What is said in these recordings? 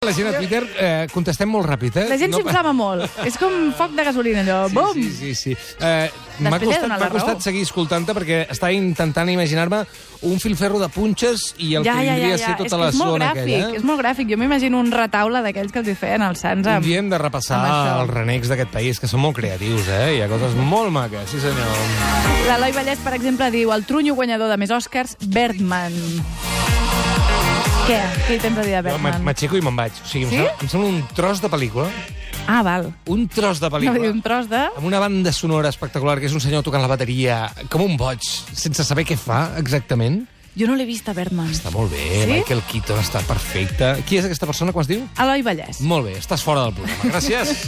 La gent a Twitter contestem molt ràpid, eh? La gent s'inflama molt. És com foc de gasolina, allò. Bum! Sí. M'ha costat seguir escoltant-te perquè estava intentant imaginar-me un filferro de punxes i el que vindria a ser tota la zona aquella. És molt gràfic. Jo m'imagino un retaule d'aquells que els hi feien als Sants. Un dia hem de repassar els renecs d'aquest país, que són molt creatius, eh? Hi ha coses molt maques, sí senyor. L'Eloi Vallès, per exemple, diu el trunyo guanyador de més Oscars, Birdman. Què hi tens a dir de Birdman? M'aixeco i me'n vaig. O sigui, em sembla un tros de pel·lícula. Ah, val. Un tros de pel·lícula. No, un tros de... Amb una banda sonora espectacular, que és un senyor tocant la bateria com un boig, sense saber què fa exactament. Jo no l'he vist a Birdman. Està molt bé, sí? Michael Keaton està perfecte. Qui és aquesta persona, com es diu? Eloi Vallès. Molt bé, estàs fora del programa. Gràcies.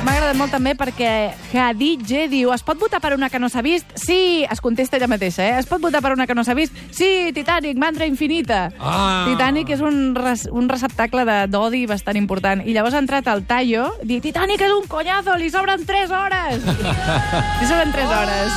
M'ha agradat molt també perquè Hadidje diu es pot votar per una que no s'ha vist? Sí, es contesta ella mateixa, eh? Es pot votar per una que no s'ha vist? Sí, Titanic, mandra infinita. Titanic és un receptacle d'odi bastant important. I llavors ha entrat el Tayo, dir Titanic és un conyazo, li sobren 3 hores. Li sobren 3 hores.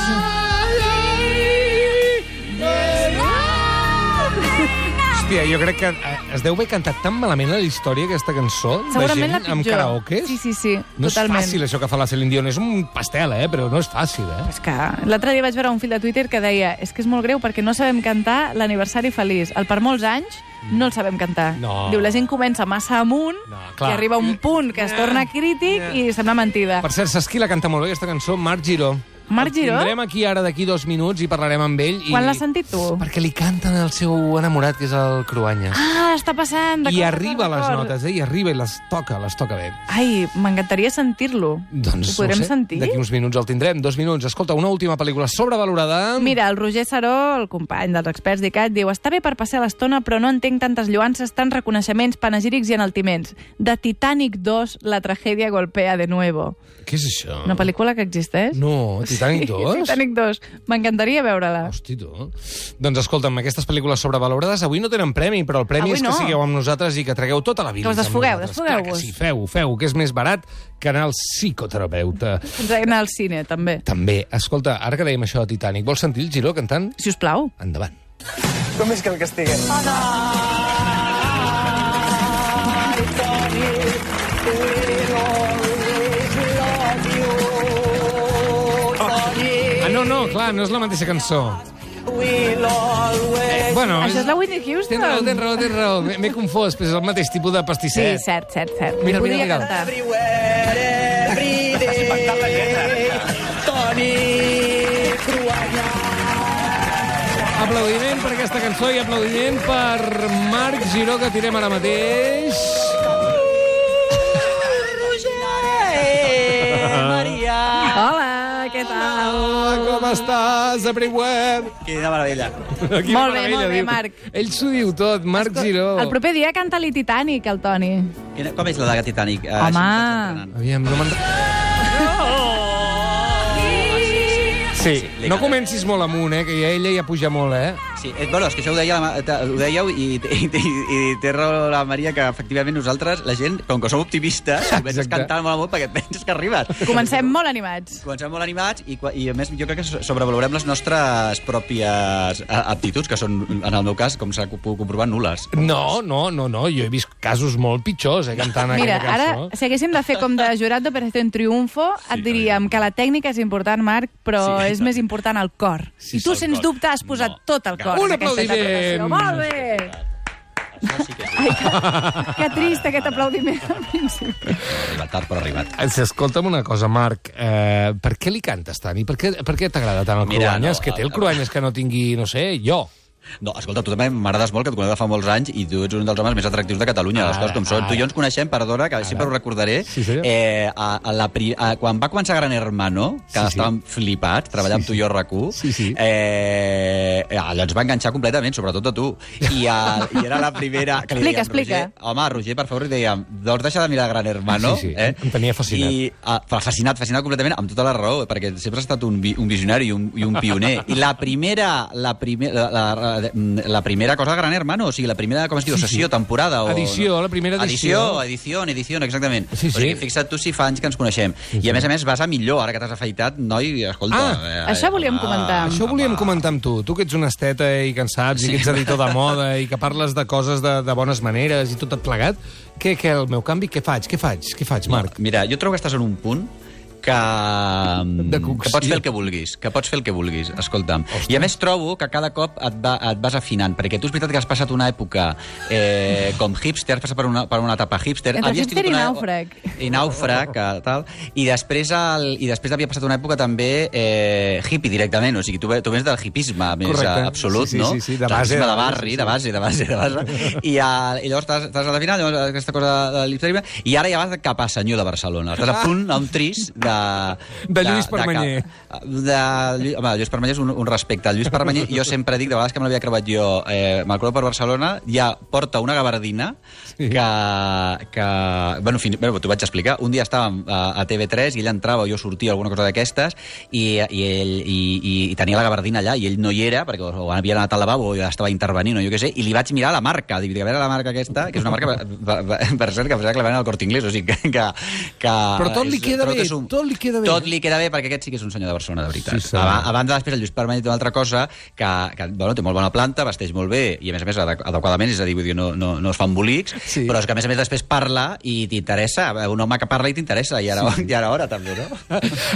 Hòstia, jo crec que es deu haver cantat tan malament a la història aquesta cançó. Segurament la pitjor. Amb karaokes. Sí, no totalment. És fàcil això que fa la Celine Dion. És un pastel, però no és fàcil, És que l'altre dia vaig veure un fil de Twitter que deia és que és molt greu perquè no sabem cantar l'aniversari feliç. Per molts anys no el sabem cantar. No. Diu, la gent comença massa amunt i arriba un punt que es torna crític i sembla mentida. Per cert, saps qui la canta molt bé, aquesta cançó? Marc Giró. Marc Giró? El tindrem aquí ara d'aquí 2 minuts i parlarem amb ell. Quan l'has sentit tu? Perquè li canten el seu enamorat, que és el Cruanyes. Ah, està passant. I arriba a les notes, i arriba i les toca bé. Ai, m'encantaria sentir-lo. Doncs ho podrem sentir? D'aquí uns minuts el tindrem, 2 minuts. Escolta, una última pel·lícula sobrevalorada. Mira, el Roger Saró, el company dels experts d'ICAT, diu està bé per passar l'estona, però no entenc tantes lloances, tants reconeixements, panegírics i enaltiments. De Titanic 2, la tragèdia golpea de nuevo. Què és això? Una pel·lícula que existeix? No, Titanic 2? Sí, Titanic 2. M'encantaria veure-la. Hosti, tu. Doncs escolta'm, aquestes pel·lícules sobrevalorades avui no tenen premi, però el premi és que sigueu amb nosaltres i que tragueu tota la vida. Que us desfogueu-vos. Sí, feu, que és més barat que anar al psicoterapeuta. Anar al cine, també. També. Escolta, ara que dèiem això de Titanic, vols sentir el Giró cantant? Si us plau. Endavant. Com és que el castiguen? No, clar, no és la mateixa cançó. Bueno, això és la Whitney Houston. Tens raó. M'he confós, però és el mateix tipus de pastisset. Sí, cert. Mira. Cantar. Aplaudiment per aquesta cançó i aplaudiment per Marc Giró, que tirem ara mateix. Hola, què tal? Com estàs, Abriweb? Quina meravella. Molt bé, Marc. Ell s'ho diu tot, Marc Giró. El proper dia canta-li Titanic, el Toni. Com és la de Titanic? Home. Aviam, no me'n... Sí, no comencis molt amunt, que ella ja puja molt, Sí, bueno, és que això ho dèieu i té raó la Maria, que efectivament nosaltres, la gent, com que som optimistes, comences cantant molt amunt perquè et penses que arribes. Comencem molt animats. I a més jo crec que sobrevalorem les nostres pròpies aptituds, que són, en el meu cas, com s'ha pogut comprovar, nul·les. No, jo he vist casos molt pitjors, cantant aquella cançó. Mira, ara, si haguéssim de fer com de jurat d'Operació Triunfo, et diríem que la tècnica és important, Marc, però és més important el cor. I tu, sens dubte, has posat tot el cor. Un aplaudiment! Molt bé! Que trist, aquest aplaudiment al principi. Arribat tard, però arribat. Escolta'm una cosa, Marc. Per què li cantes tant? I per què t'agrada tant el Cruanyes? Que té el Cruanyes que no tingui, no sé, jo. No, escolta, tu també m'agrades molt, que et conec de fa molts anys i tu ets un dels homes més atractius de Catalunya, les coses com són. Tu i jo ens coneixem, perdona, que sempre ho recordaré, quan va començar Gran Hermano, que estàvem flipats, treballant amb tu i jo a RAC1, allò ens va enganxar completament, sobretot a tu. I era la primera... Explica. Home, Roger, per favor, i dèiem, doncs deixa de mirar Gran Hermano. Em tenia fascinat. Fascinat completament, amb tota la raó, perquè sempre has estat un visionari i un pioner. I la primera la primera cosa de Gran Hermano, o sigui, la primera, com es diu, sessió, temporada... Edició, la primera edició. Edició, exactament. Sí. O sigui, fixa't tu si fa anys que ens coneixem. I a més vas a millor, ara que t'has afaitat, noi, escolta... Això volíem comentar. Això volíem comentar amb tu. Tu que ets un esteta i que en saps, i que ets editor de moda, i que parles de coses de bones maneres i tot plegat, què el meu canvi, què faig, Marc? Mira, jo trobo que estàs en un punt que pots fer el que vulguis, escolta'm. Hòstia. I a més trobo que cada cop et vas afinant, perquè tu és veritat que has passat una època com hipster, has passat per una etapa hipster. Entre hipster i nàufrag. I nàufrag, tal. I després havia passat una època també hippie directament, o sigui, tu vens del hipisme més absolut, no? Sí, de base. De barri, de base. I llavors t'has a la final, llavors aquesta cosa de l'hipsterisme, i ara ja vas cap a senyor de Barcelona. Estàs a punt, a un tris de Lluís Permanyer. Home, Lluís Permanyer és un respecte. El Lluís Permanyer, jo sempre dic, de vegades que me l'havia crevat jo, me'l creu per Barcelona, ja porta una gabardina que bueno, t'ho vaig explicar. Un dia estàvem a TV3 i ell entrava, jo sortia, alguna cosa d'aquestes, i tenia la gabardina allà, i ell no hi era, perquè o havia anat al lavabo o ja estava intervenint, o jo què sé, i li vaig mirar la marca, dic, a veure la marca aquesta, que és una marca, per cert, que la ven al Corte Inglés, o sigui que però tot li queda bé, tot li queda bé. Tot li queda bé, perquè aquest sí que és un senyor de Barcelona, de veritat. Sí, a banda, després, el Lluís Permanyer té una altra cosa, que bueno, té molt bona planta, vesteix molt bé, i a més adequadament, és a dir, vull dir, no es fa embolics, però és que a més després parla i t'interessa, un home que parla i t'interessa, i ara hora també, no?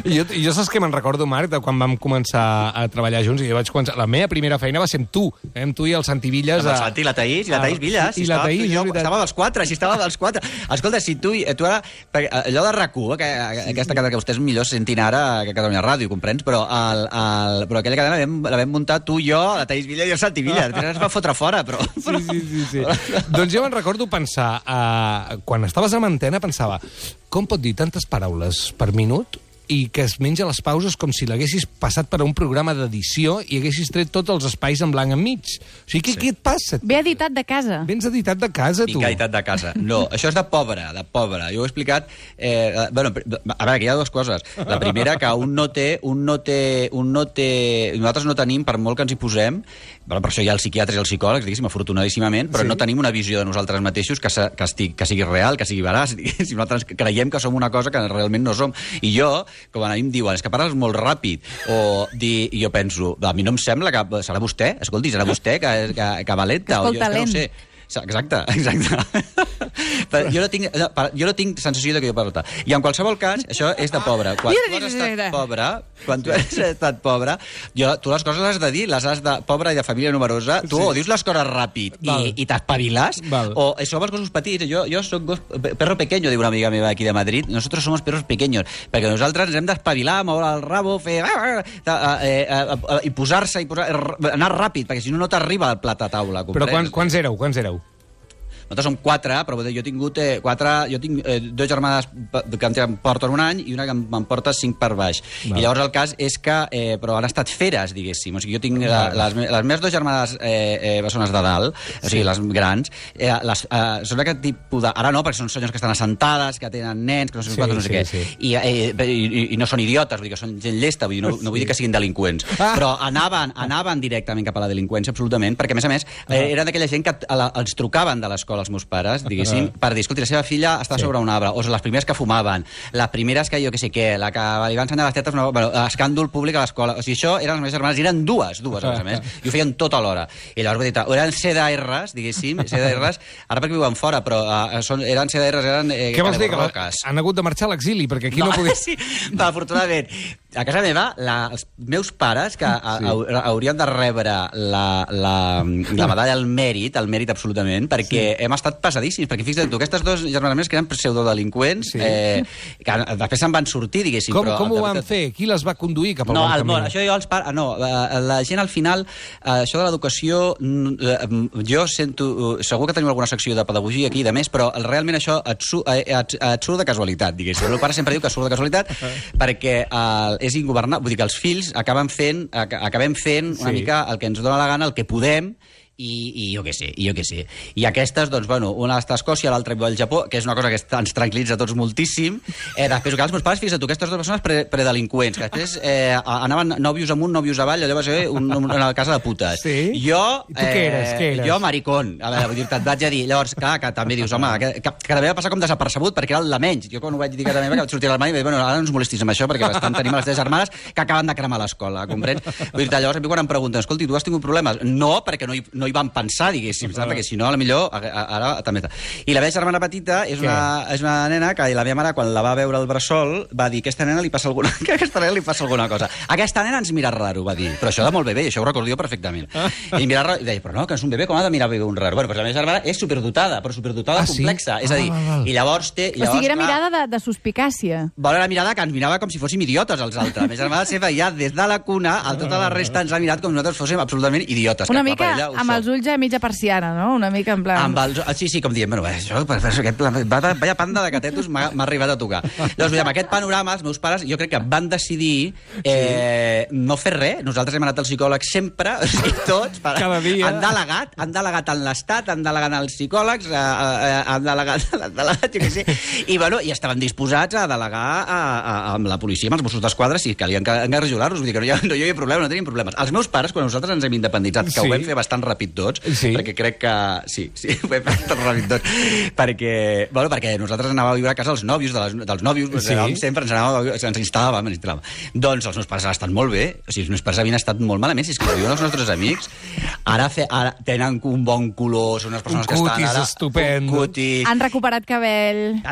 Jo saps que me'n recordo, Marc, de quan vam començar a treballar junts, i jo vaig començar... La meva primera feina va ser amb tu, amb tu i el Santi Villas. Amb el Santi i la Taís Villas. I la Taís, estava dels quatre. Escolta, si tu ara... Allò de RAC1, aquesta cadena que vostès millor sentin ara que Catalunya Ràdio, comprens? Però aquella cadena la vam muntar tu, jo, la Taís Villas i el Santi Villas. Es va fotre fora, però... Sí. Doncs jo me'n recordo pensar, quan estaves a Antena, pensava, com pot dir tantes paraules per minut i que es menja les pauses com si l'haguessis passat per a un programa d'edició i haguessis tret tots els espais en blanc enmig. O sigui, què et passa? Ve editat de casa. Vens editat de casa, tu. Vinc editat de casa. No, això és de pobre. Jo ho he explicat... Bueno, a veure, que hi ha dues coses. La primera, que nosaltres no tenim, per molt que ens hi posem, per això hi ha els psiquiatres i els psicòlegs, diguéssim, afortunadíssimament, però no tenim una visió de nosaltres mateixos que sigui real, que sigui veraç. Si nosaltres creiem que som una cosa que realment no som. I jo, com a mi em diuen, és que parles molt ràpid, i jo penso, a mi no em sembla que... Serà vostè? Escolti, serà vostè que valenta? Que és talent. No sé. Exacte. Però jo no tinc sensació que jo parlo tant. I en qualsevol cas, això és de pobre. Quan tu has estat pobre, tu les coses les has de dir, les has de pobre i de família numerosa, tu o dius les coses ràpid i t'espaviles, o som els gossos petits. Jo soc perro pequeño, diu una amiga meva aquí de Madrid. Nosotros somos perros pequeños, perquè nosaltres ens hem d'espavilar, moure el rabo, fer... i posar-se, anar ràpid, perquè si no t'arriba el plat a taula. Però quants éreu? Nosaltres som 4, però jo he tingut 4... Jo tinc 2 germanes que em porten un any i una que em porta 5 per baix. I llavors el cas és que... Però han estat feres, diguéssim. O sigui, jo tinc les meves 2 germanes bessones de dalt, o sigui, les grans, són aquest tipus de... Ara no, perquè són senyors que estan assentades, que tenen nens, que no sé què. I no són idiotes, vull dir que són gent llesta, no vull dir que siguin delinqüents. Però anaven directament cap a la delinqüència, absolutament, perquè, a més, eren d'aquella gent que els trucaven de l'escola els meus pares, diguéssim, per dir, escolti, la seva filla està sobre un arbre, o les primeres que fumaven, les primeres que jo què sé què, la que li van ensenyar les tetes, escàndol públic a l'escola. O sigui, això eren les meves germanes, i eren dues, a més, i ho feien tot alhora. I llavors, vull dir, eren CDRs, diguéssim, ara perquè viuen fora, però eren CDRs, eren... Què vols dir, que han hagut de marxar a l'exili, perquè aquí no podia... Sí, afortunadament. A casa meva, els meus pares, que haurien de rebre la medalla al mèrit absolutament, perquè hem estat pesadíssims, perquè fixa't tu, aquestes 2 germanes meves que eren pseudodelinqüents, que després se'n van sortir, diguéssim. Com ho van fer? Qui les va conduir cap al bon camí? Això jo els pares... No, la gent al final, això de l'educació, jo sento... Segur que tenim alguna secció de pedagogia aquí i de més, però realment això et surt de casualitat, diguéssim. El meu pare sempre diu que surt de casualitat perquè és ingobernable. Vull dir que els fills acabem fent una mica el que ens dóna la gana, el que podem, i jo què sé. I aquestes, doncs, bueno, una està a Escòcia, l'altra viu al Japó, que és una cosa que ens tranquil·litza a tots moltíssim. Després, els meus pares, fixa't tu, aquestes dues persones predelinqüents, que després anaven nòvios amunt, nòvios avall, allò va ser una casa de putes. Sí? Jo... I tu què eres? Jo, maricón. A veure, vull dir, et vaig a dir. Llavors, clar, que també dius, home, que també va passar com desapercebut, perquè era el de menys. Jo quan ho vaig dir a casa meva, que vaig sortir a l'armari, i vaig dir, bueno, ara no ens molestis amb això, perquè bastant tenim les 3 germanes que acaben de cremar l'escola, comprens? Vull dir, llavors, a mi quan em pregunten, escolti, tu has tingut problemes? No, perquè no hi van pensar, diguéssim, perquè si no, potser ara també... I la meva germana petita és una nena que la meva mare, quan la va veure al bressol, va dir, aquesta nena li passa alguna cosa. Aquesta nena ens mira raro, va dir. Però això de molt bebè, això ho recordo jo perfectament. I mira raro, i deia, però no, que és un bebè, com ha de mirar bebè un raro? Bueno, doncs la meva germana és superdotada, però superdotada complexa. És a dir, i llavors té... O sigui, era mirada de suspicàcia. Bona la mirada que ens mirava com si fóssim idiotes els altres. La meva germana sempre ja des de la cuna a tota la resta ens ha mirat com si nosaltres fóssim absolutament idiotes. Una mica amb els ulls a mitja persiana, no? Una mica en plan... Sí, com dient, bueno, això, vaya panda de catetos m'ha arribat a tocar. Doncs, amb aquest panorama, els meus pares, jo crec que van decidir no fer res. Nosaltres hem anat al psicòleg sempre, o sigui, tots. Cada dia. Han delegat en l'Estat, han delegat als psicòlegs, han delegat, jo què sé. I, bueno, i estaven disposats a delegar amb la policia, amb els Mossos d'Esquadra, si calien engarjolar-los. Vull dir que no hi havia problema, no tenim problemes. Els meus pares, quan nosaltres ens hem independitzat, que ho vam fer bastant ràpid tots, perquè crec que... Sí, ho vam fer bastant ràpid tots. Perquè nosaltres anàvem a viure a casa dels nòvios, sempre ens instal·làvem. Doncs els meus pares han estat molt bé, o sigui, els meus pares havien estat molt malament, si és que ho diuen els nostres amics, ara tenen un bon color, són unes persones que estan ara... Estupendo. Han recuperat cabell. I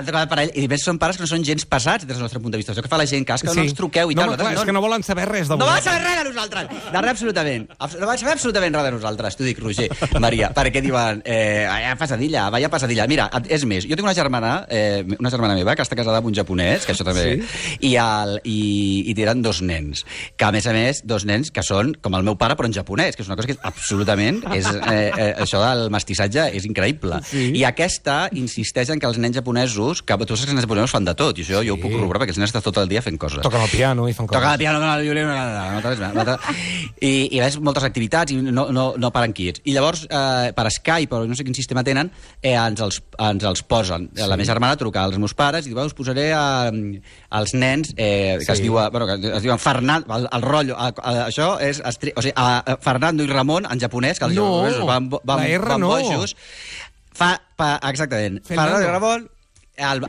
després són pares que no són gens pesats des del nostre punt de vista. Això que fa la gent, que no ens truqueu i tal. És que no volen saber res de vosaltres. No volen saber res de nosaltres, de res absolutament. No volen saber absolutament res de nosaltres, t'ho dic, Roger, Maria, perquè diuen, vaya pasadilla. Mira, és més, jo tinc una germana meva que està casada amb un japonès, que això també... I tenen 2 nens, que a més, 2 nens que són com el meu pare, però en japonès, que és una cosa que és absolutament... això del mestissatge és increïble. I aquesta insisteix en que els nens japonesos, que tu saps que els nens japonesos fan de tot, i això jo ho puc corroborar, perquè els nens estan tot el dia fent coses. Toquen el piano i fan coses. Toquen el piano, el violí... I veus moltes activitats i no paren quiets. I llavors, per Skype, però no sé quin sistema tenen, ens els posen. La meva germana truca als meus pares i diu, us posaré als nens que es diuen Fernando, el rotllo, això és... O sigui, Fernando i Ramon, en japonès, que els japonesos van bojos. Exactament. Fernando i Ramon... El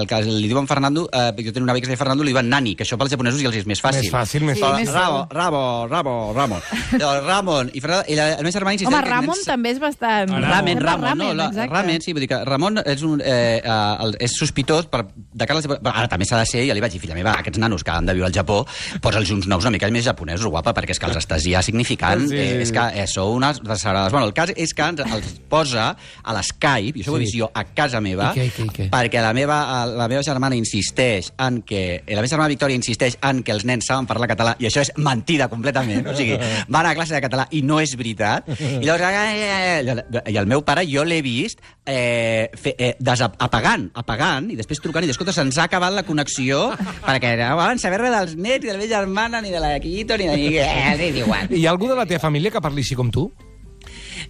que li diuen Fernando, jo tenia una amiga que es deia Fernando, li diuen Nani, que això pels japonesos ja els és més fàcil. Més fàcil. Ramon. I la meva germana insisteix... Home, Ramon també és bastant... Ramen, sí, vull dir que Ramon és sospitós de cara als... Ara també s'ha de ser, ja li vaig dir, filla meva, aquests nanos que han de viure al Japó, posa'ls uns nous una mica més japonesos, guapa, perquè és que els estàs ja significant, és que sou unes desagradades. Bueno, el cas és que els posa a l'Skype, i això ho he vist jo a casa meva, perquè la meva germana insisteix en que... La meva germana Victòria insisteix en que els nens saben parlar català, i això és mentida completament. O sigui, van a classe de català i no és veritat. I llavors... I el meu pare, jo l'he vist apagant, i després trucant, i escolta, se'ns ha acabat la connexió, perquè no volen saber res dels nets, ni de la meva germana, ni de la Quito, ni de ningú. Hi ha algú de la teva família que parli així com tu?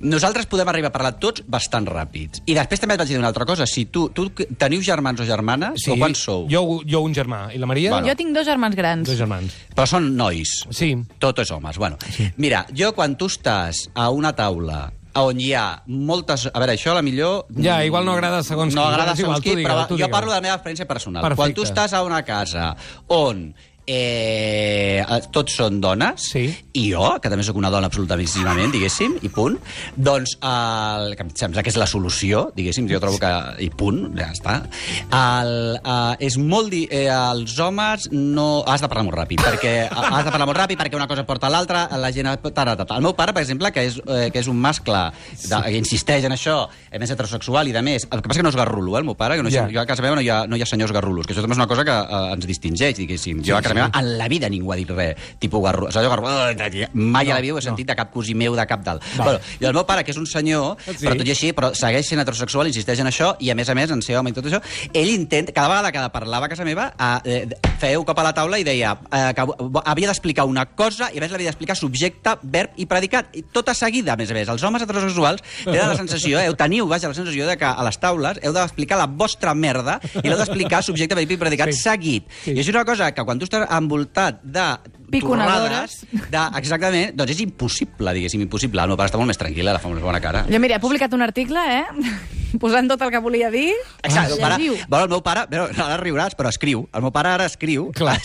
Nosaltres podem arribar a parlar tots bastant ràpids. I després també et vaig dir una altra cosa. Si tu teniu germans o germanes, o quants sou? Jo un germà. I la Maria? Jo tinc 2 germans grans. 2 germans. Però són nois. Sí. Tot és homes. Bueno, mira, jo quan tu estàs a una taula on hi ha moltes... A veure, això a la millor... Ja, igual no agrada segons qui. No agrada segons qui, però jo parlo de la meva experiència personal. Perfecte. Quan tu estàs a una casa on... tots són dones, i jo, que també sóc una dona absolutament, diguéssim, i punt, doncs que em sembla que és la solució, diguéssim, jo trobo que... i punt, ja està. És molt... els homes no... Has de parlar molt ràpid, perquè una cosa porta a l'altra, la gent... El meu pare, per exemple, que és un mascle, que insisteix en això, més heterosexual i de més, el que passa que no és garrulo, el meu pare, que jo a casa meva no hi ha senyors garrulos, que això també és una cosa que ens distingeix, diguéssim. Jo a casa casa meva en la vida ningú ha dit res, tipus garro, mai a la vida ho he sentit de cap cosí meu, de cap dalt. Bueno, i el meu pare, que és un senyor, però tot i així, però segueix sent heterosexual, insisteix en això, i a més, en ser home i tot això, ell intenta, cada vegada que parlava a casa meva, feia un cop a la taula i deia que havia d'explicar una cosa i a més l'havia d'explicar subjecte, verb i predicat, i tota seguida, a més a més. Els homes heterosexuals tenen la sensació, teniu, la sensació de que a les taules heu d'explicar la vostra merda i l'heu d'explicar subjecte, verb i predicat seguit. I és una cosa que quan tu estàs envoltat de piconadores, exactament, doncs és impossible, diguéssim, impossible. El meu pare està molt més tranquil·la, la fa molt bona cara. Jo, mira, he publicat un article, posant tot el que volia dir. Exacte, el meu pare, ara riuràs, però escriu. El meu pare ara escriu. Clar,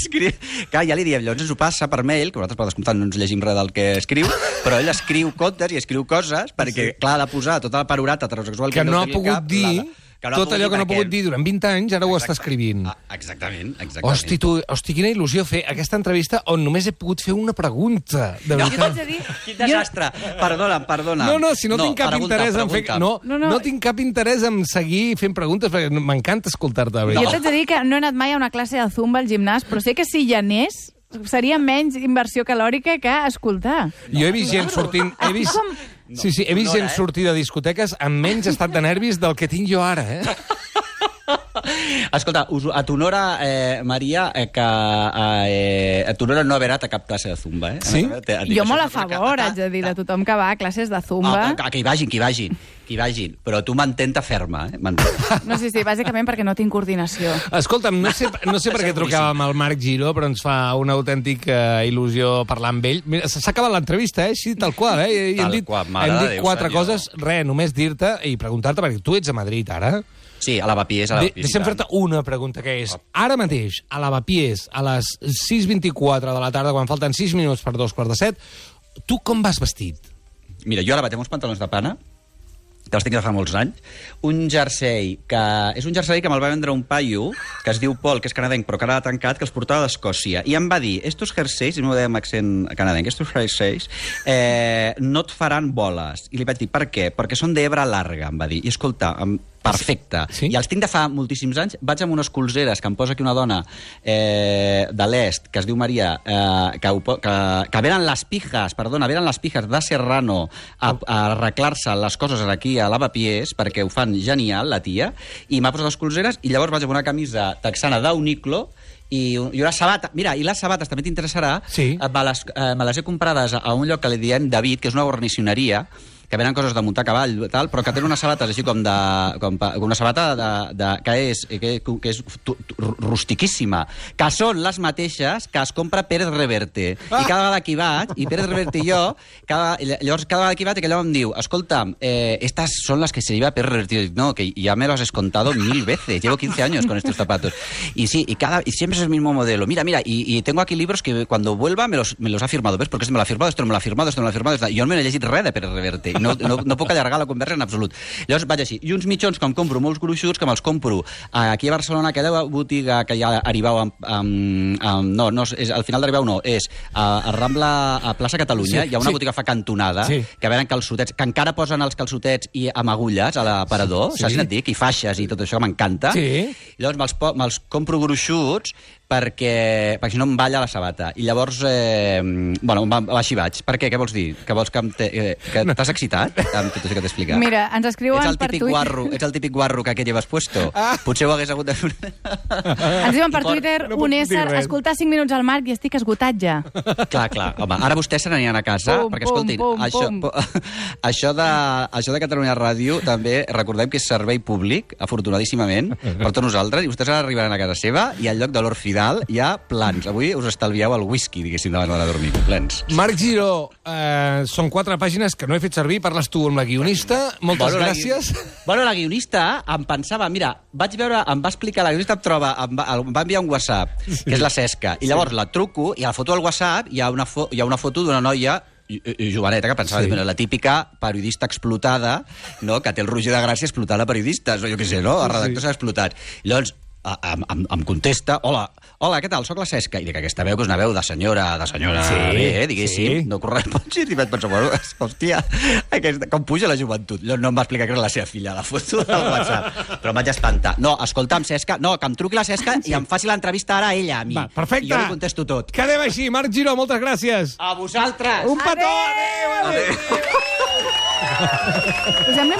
ja li diem, llavors ens ho passa per mail, que nosaltres per descomptat no ens llegim res del que escriu, però ell escriu contes i escriu coses, perquè, clar, ha de posar tot el panorama heterosexual que no ha pogut dir... Tot allò que no ha pogut dir durant 20 anys, ara ho està escrivint. Exactament. Hosti, quina il·lusió fer aquesta entrevista on només he pogut fer una pregunta. De veritat. Quin desastre. Perdona. No, si no tinc cap interès en fer... No tinc cap interès en seguir fent preguntes, perquè m'encanta escoltar-te. Jo t'haig de dir que no he anat mai a una classe de zumba al gimnàs, però sé que si hi anés seria menys inversió calòrica que escoltar. Jo he vist gent sortint... He vist gent sortir de discoteques amb menys estat de nervis del que tinc jo ara, Escolta, a t'honora, Maria, que a t'honora no haver anat a cap classe de zumba, Sí? Jo molt a favor, haig de dir, de tothom que va a classes de zumba. Que hi vagin, però tu mantenta ferma, No, sí, bàsicament perquè no tinc coordinació. Escolta'm, no sé per què trucàvem al Marc Giró, però ens fa una autèntica il·lusió parlar amb ell. Mira, s'ha acabat l'entrevista, així, tal qual, I hem dit 4 coses, només dir-te i preguntar-te, perquè tu ets a Madrid, ara. Sí, a Lavapiés. Deixa'm fer-te una pregunta, que és, ara mateix, a Lavapiés, a les 6:24 de la tarda, quan falten 6 minuts per 2:45, tu com vas vestit? Mira, jo ara vaig amb uns pantalons de pana, que els tinc de fa molts anys, un jersei és un jersei que me'l va vendre un paio que es diu Pol, que és canadenc, però que ara ha tancat, que els portava d'Escòcia, i em va dir, estos jerseis, i m'ho deia amb accent canadenc, estos jerseis no et faran boles. I li vaig dir, per què? Perquè són d'hebra larga, em va dir. I escolta, perfecte. Sí? I els tinc de fa moltíssims anys. Vaig amb unes colzeres que em posa aquí una dona de l'est, que es diu Maria, que venen les pijas de Serrano a arreglar-se les coses aquí a Lavapiés, perquè ho fan genial, la tia, i m'ha posat les colzeres, i llavors vaig amb una camisa texana d'Uniqlo, i una sabata. Mira, i les sabates també t'interessarà. Sí. Me les he comprades a un lloc que li diem David, que és una guarnicioneria, que venen coses de muntar a cavall, tal, però que tenen unes sabates així com una sabata que és rustiquíssima, que són les mateixes que es compra Pérez Reverte. I cada vegada que hi vaig, i Pérez Reverte i jo, llavors cada vegada que hi vaig, aquell home em diu, escolta, estas son las que se lleva Pérez Reverte. Y dic, no, que ya me lo has contado 1000 veces, llevo 15 años con estos zapatos. Y sí, y siempre es el mismo modelo. Mira, y tengo aquí libros que cuando vuelva me los ha firmado. ¿Ves? Porque este me lo ha firmado, esto no me lo ha firmado, esto no me lo ha firmado. Jo no me he llegit res de Pérez Reverte. No puc allargar la conversa en absolut. Llavors vaig així. I uns mitjons que em compro molts gruixuts, que me'ls compro aquí a Barcelona, aquella botiga que ja Aribau al final d'Aribau no, és a Rambla, a Plaça Catalunya, hi ha una botiga que fa cantonada, que venen calçotets, que encara posen els calçotets i amb agulles a l'aparador, saps què et dic? I faixes i tot això, que m'encanta. Llavors me'ls compro gruixuts perquè si no em balla la sabata. I llavors, així vaig. Per què? Què vols dir? Que vols que t'has excitat amb tot això que t'he explicat? Mira, ens escriuen per Twitter... Ets el típic guarro que aquest llevas puesto. Potser ho hagués hagut de fer... Ens diuen per Twitter un ésser, escoltar 5 minuts al Marc i estic esgotat ja. Clar. Home, ara vostès se n'anien a casa, perquè escoltin, això de Catalunya Ràdio també recordem que és servei públic, afortunadíssimament, per tots nosaltres, i vostès ara arribaran a casa seva i al lloc de l'Orfidal hi ha plans. Avui us estalvieu el whisky, diguéssim, davant de dormir. Plens. Marc Giró, són 4 pàgines que no he fet servir, parles tu amb la guionista. Moltes gràcies. La guionista em pensava, mira, vaig veure, em va explicar, la guionista em va enviar un WhatsApp, que és la Cesca, i llavors la truco, i a la foto del WhatsApp hi ha una foto d'una noia joveneta, que pensava, la típica periodista explotada, no? Que té el Roger de Gràcia explotant a periodistes, o jo què sé, no? El redactor s'ha explotat. Llavors, em contesta, hola, què tal, soc la Cesca. I dic, aquesta veu que és una veu de senyora bé, diguéssim, no correspongit. I vaig pensar, bueno, hòstia, com puja la joventut. No em va explicar que era la seva filla, la foto del WhatsApp. Però em vaig espantar. No, escolta'm, Cesca, no, que em truqui la Cesca i em faci l'entrevista ara a ella, a mi. Va, perfecte. I jo li contesto tot. Quedem així. Marc Giró, moltes gràcies. A vosaltres. Un petó. Adéu. Us sembla